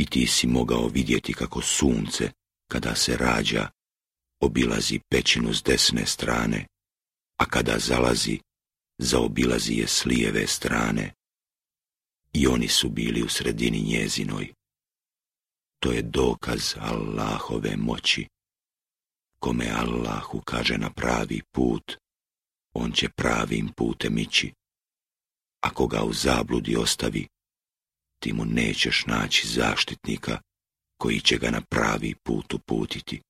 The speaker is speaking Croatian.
I ti si mogao vidjeti kako sunce, kada se rađa, obilazi pećinu s desne strane, a kada zalazi, zaobilazi je s lijeve strane. I oni su bili u sredini njezinoj. To je dokaz Allahove moći. Kome Allah ukaže na pravi put, on će pravim putem ići. Ako ga u zabludi ostavi, ti mu nećeš naći zaštitnika koji će ga na pravi put uputiti.